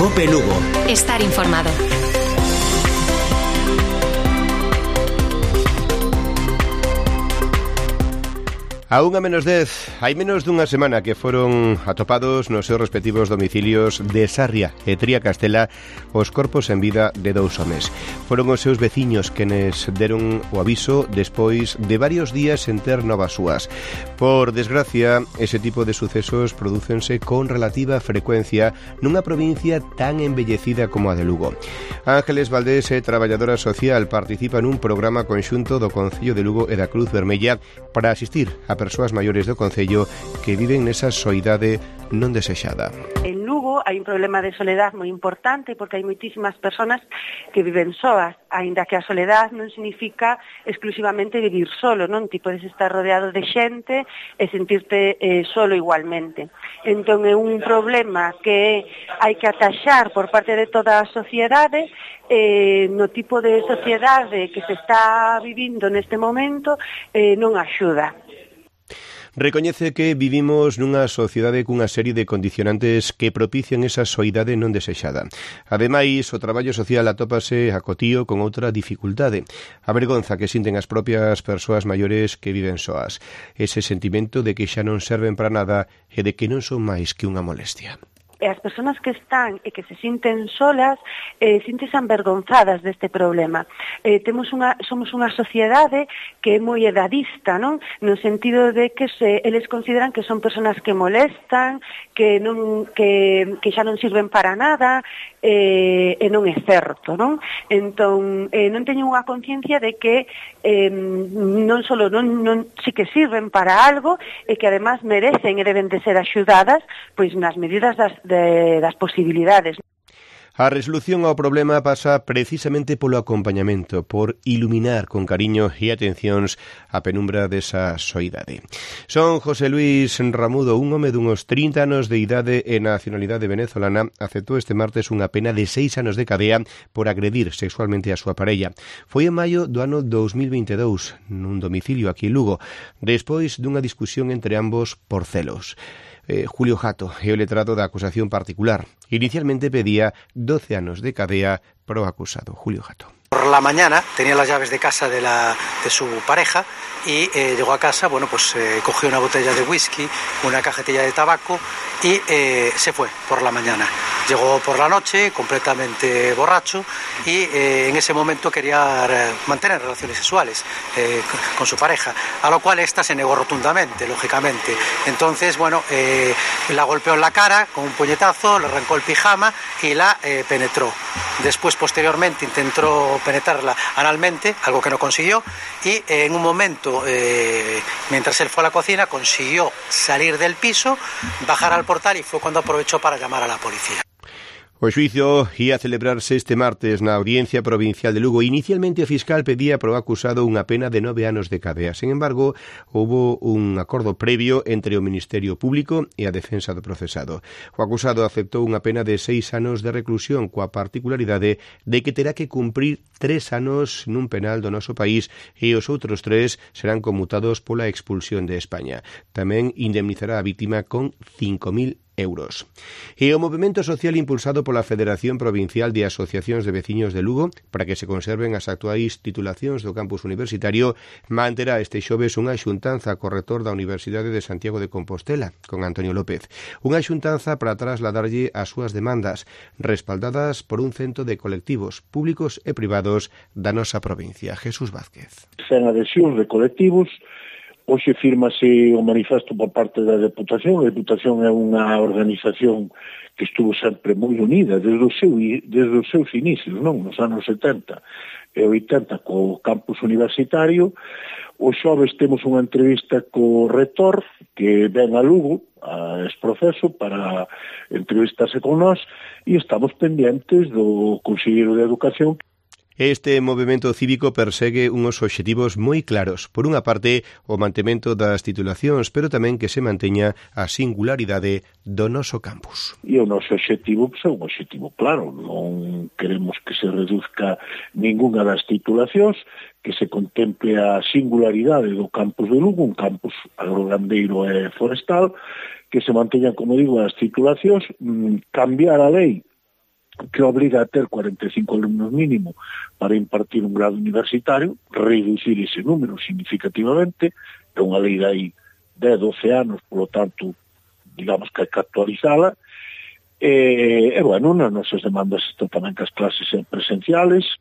COPE Lugo. Estar informado. A 1:10, hai menos dunha semana que foron atopados nos seus respectivos domicilios de Sarria e Tría Castela os corpos en vida de 2 homes. Foron os seus veciños quenes deron o aviso despois de varios días sen ter novas súas. Por desgracia, ese tipo de sucesos prodúcense con relativa frecuencia nunha provincia tan embellecida como a de Lugo. Ángeles Valdés, traballadora social, participa nun programa conxunto do Concello de Lugo e da Cruz Vermella para asistir a persoas maiores do Concello que viven nesa soidade non desexada. En Lugo hai un problema de soledad moi importante porque hai moitísimas persoas que viven soas, aínda que a soledad non significa exclusivamente vivir solo, non? Ti podes estar rodeado de xente e sentirte solo igualmente. Entón é un problema que hai que ataxar por parte de toda a sociedade, no tipo de sociedade que se está vivindo neste momento non axuda. Recoñece que vivimos nunha sociedade cunha serie de condicionantes que propician esa soidade non desexada. Ademais, o traballo social atópase acotío con outra dificultade, a vergonza que sinten as propias persoas maiores que viven soas, ese sentimento de que xa non serven para nada e de que non son máis que unha molestia. E as persoas que están e que se sinten solas sintense avergonzadas deste problema. Somos unha sociedade que é moi edadista, non? No sentido de que eles consideran que son persoas que molestan, que xa non sirven para nada, e non é certo, non? Entón, non teñen unha conciencia de que non sí que sirven para algo e que además merecen e deben de ser axudadas pois nas medidas das posibilidades. A resolución ao problema pasa precisamente polo acompañamento, por iluminar con cariño e atencións a penumbra desa soidade. Son José Luis Ramudo, un home dunhos 30 anos de idade e nacionalidade venezolana, aceptou este martes unha pena de 6 anos de cadea por agredir sexualmente a súa parella. Foi en maio do ano 2022, nun domicilio aquí en Lugo, despois dunha discusión entre ambos por celos. Julio Jato é o letrado da acusación particular. Inicialmente pedía 12 anos de cadea pro acusado. Julio Jato. Por la mañana tenía las llaves de casa de su pareja y llegó a casa, cogió una botella de whisky, una cajetilla de tabaco y se fue por la mañana. Llegó por la noche completamente borracho y en ese momento quería mantener relaciones sexuales con su pareja, a lo cual esta se negó rotundamente, lógicamente. Entonces, la golpeó en la cara con un puñetazo, le arrancó el pijama y la penetró. Después, posteriormente, intentó penetrarla analmente, algo que no consiguió, y en un momento, mientras él fue a la cocina, consiguió salir del piso, bajar al portal y fue cuando aprovechó para llamar a la policía. O xuizo ia celebrarse este martes na Audiencia Provincial de Lugo. Inicialmente o fiscal pedía pro acusado unha pena de 9 anos de cadea. Sen embargo, houbo un acordo previo entre o Ministerio Público e a defensa do procesado. O acusado aceptou unha pena de 6 anos de reclusión coa particularidade de que terá que cumprir 3 anos nun penal do noso país e os outros 3 serán conmutados pola expulsión de España. Tamén indemnizará a vítima con 5.000 euros. E o movemento social impulsado pola Federación Provincial de Asociacións de Veciños de Lugo para que se conserven as actuais titulacións do campus universitario manterá este xoves unha xuntanza co rector da Universidade de Santiago de Compostela, con Antonio López. Unha xuntanza para trasladarlle as súas demandas, respaldadas por un cento de colectivos públicos e privados da nosa provincia. Jesús Vázquez. Sen adhesión de colectivos. Hoxe firmase o manifesto por parte da Deputación. A Deputación é unha organización que estuvo sempre moi unida desde os seus inicios, non? Nos anos 70 e 80 co campus universitario. O xoves temos unha entrevista co rector que ven a Lugo a este proceso para entrevistarse con nós e estamos pendentes do Conselleiro de Educación. Este movemento cívico persegue unhos obxectivos moi claros. Por unha parte, o mantemento das titulacións, pero tamén que se manteña a singularidade do noso campus. E o noso obxectivo é un obxectivo claro. Non queremos que se reduzca ninguna das titulacións, que se contemple a singularidade do campus de Lugo, un campus agrogandeiro e forestal, que se manteñan, como digo, as titulacións, cambiar a lei que obliga a ter 45 alumnos mínimo para impartir un grado universitario, reducir ese número significativamente, é unha lei de aí 10, 12 anos, polo tanto, digamos que hai que actualizala, e bueno, nas nosas demandas está tamén que as clases sean presenciales.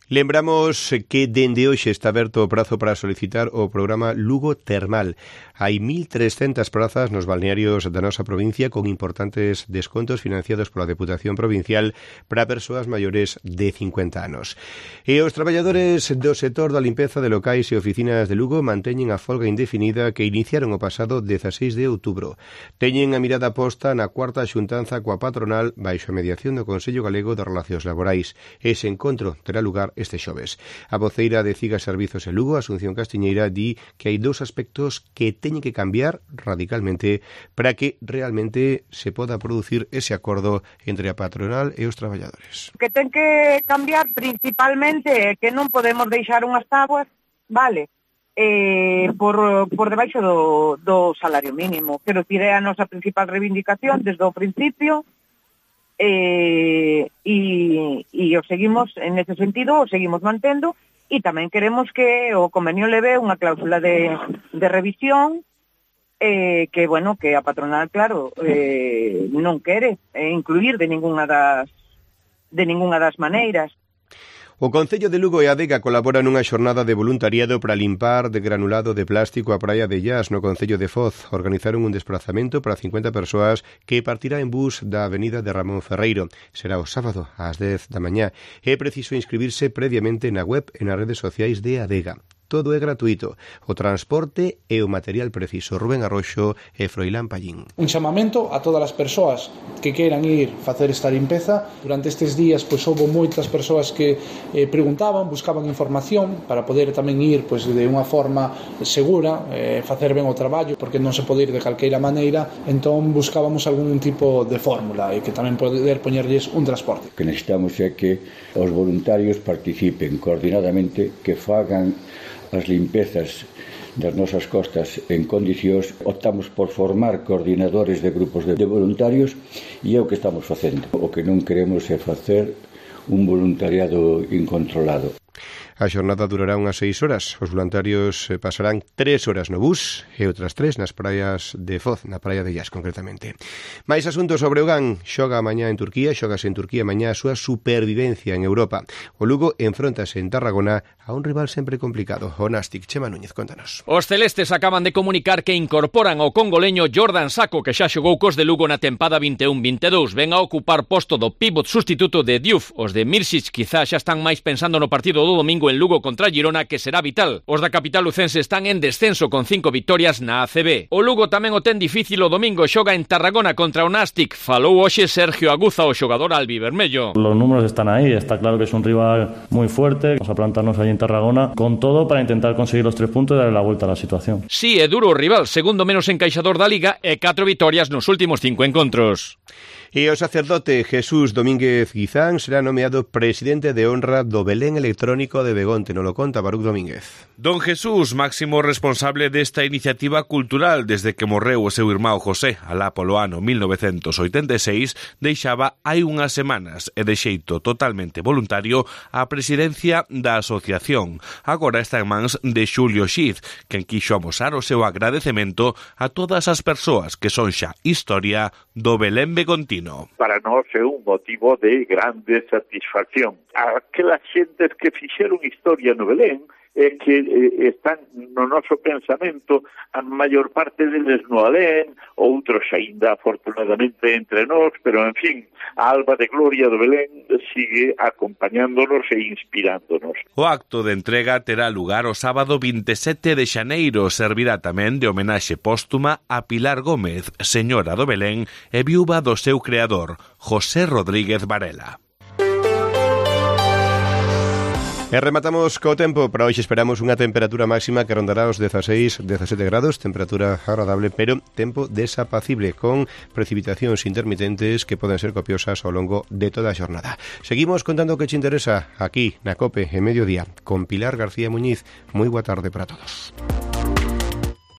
Lembramos que dende hoxe está aberto o prazo para solicitar o programa Lugo Termal. Hai 1.300 prazas nos balnearios da nosa provincia con importantes descontos financiados pola Deputación Provincial para persoas maiores de 50 anos. E os traballadores do sector da limpeza de locais e oficinas de Lugo manteñen a folga indefinida que iniciaron o pasado 16 de outubro. Teñen a mirada posta na cuarta xuntanza coa patronal baixo a mediación do Consello Galego de Relacións Laborais. Ese encontro terá lugar este xoves. A voceira de CIGA Servizos en Lugo, Asunción Castiñeira, di que hai dous aspectos que teñen que cambiar radicalmente para que realmente se poda producir ese acordo entre a patronal e os traballadores. Que ten que cambiar principalmente é que non podemos deixar unhas tabuas, vale, por debaixo do salario mínimo. Quero dicir, é a nosa principal reivindicación desde o principio, e o seguimos, en ese sentido, o seguimos mantendo, e tamén queremos que o convenio leve unha cláusula de revisión, que, bueno, que a patronal, claro, non quere incluir de ninguna das maneiras. O Concello de Lugo e a Adega colaboran nunha xornada de voluntariado para limpar de granulado de plástico a praia de Llas no Concello de Foz. Organizaron un desplazamento para 50 persoas que partirá en bus da avenida de Ramón Ferreiro. Será o sábado ás 10 da mañá. É preciso inscribirse previamente na web e nas redes sociais de Adega. Todo é gratuito, o transporte e o material preciso. Rubén Arroxo e Froilán Pallín. Un chamamento a todas as persoas que queiran ir facer esta limpeza. Durante estes días houve moitas persoas que preguntaban, buscaban información para poder tamén ir de unha forma segura, facer ben o traballo, porque non se pode ir de calqueira maneira. Entón buscábamos algún tipo de fórmula e que tamén poder poñerlles un transporte. O que necesitamos é que os voluntarios participen coordinadamente, que fagan as limpezas das nosas costas en condicións. Optamos por formar coordinadores de grupos de voluntarios e é o que estamos facendo. O que non queremos é facer un voluntariado incontrolado. A xornada durará unhas 6 horas. Os voluntarios pasarán 3 horas no bus e outras 3 nas praias de Foz, na praia de Llas, concretamente. Mais asuntos sobre o GAN. Xoga mañá en Turquía, xogase en Turquía mañá a súa supervivencia en Europa. O Lugo enfróntase en Tarragona a un rival sempre complicado. O Nástic, Chema Núñez, contanos. Os celestes acaban de comunicar que incorporan ao congoleño Jordan Sacco, que xa xogou cos de Lugo na tempada 21-22. Ven a ocupar posto do pívot sustituto de Diouf. Os de Mirsic quizá xa están máis pensando no partido do domingo en Lugo contra Girona, que será vital. Os da capital lucense están en descenso con 5 victorias na ACB. O Lugo tamén o ten difícil o domingo, xoga en Tarragona contra o Nástic. Falou hoxe Sergio Aguza, o xogador albivermello. Los números están aí, está claro que es un rival muy fuerte. Vamos a plantarnos allí en Tarragona con todo para intentar conseguir los 3 puntos y darle la vuelta a la situación. Sí, é duro o rival, segundo menos encaixador da Liga e 4 vitorias nos últimos 5 encontros. E o sacerdote Jesús Domínguez Guizán será nomeado presidente de honra do Belén Electrónico de Begonte. Nos lo conta Baruch Domínguez. Don Jesús, máximo responsable desta iniciativa cultural desde que morreu o seu irmão José, alá polo ano 1986, deixaba hai unhas semanas e de xeito totalmente voluntario a presidencia da asociación. Agora está en mans de Xulio Xiz, quen quixo amosar o seu agradecemento a todas as persoas que son xa historia do Belén Begontino. Para nós é un motivo de grande satisfacción. Aquelas xentes que fixeron historia no Belén é que están no noso pensamento, a maior parte deles no alén, outros aínda afortunadamente entre nós, pero en fin, a alba de gloria do Belén sigue acompañándonos e inspirándonos. O acto de entrega terá lugar o sábado 27 de xaneiro, servirá tamén de homenaxe póstuma a Pilar Gómez, señora do Belén e viúva do seu creador, José Rodríguez Varela. E rematamos co tempo. Para hoxe esperamos unha temperatura máxima que rondará os 16-17 grados, temperatura agradable, pero tempo desapacible, con precipitacións intermitentes que poden ser copiosas ao longo de toda a xornada. Seguimos contando o que te interesa aquí na COPE en mediodía con Pilar García Muñiz. Moi boa tarde para todos.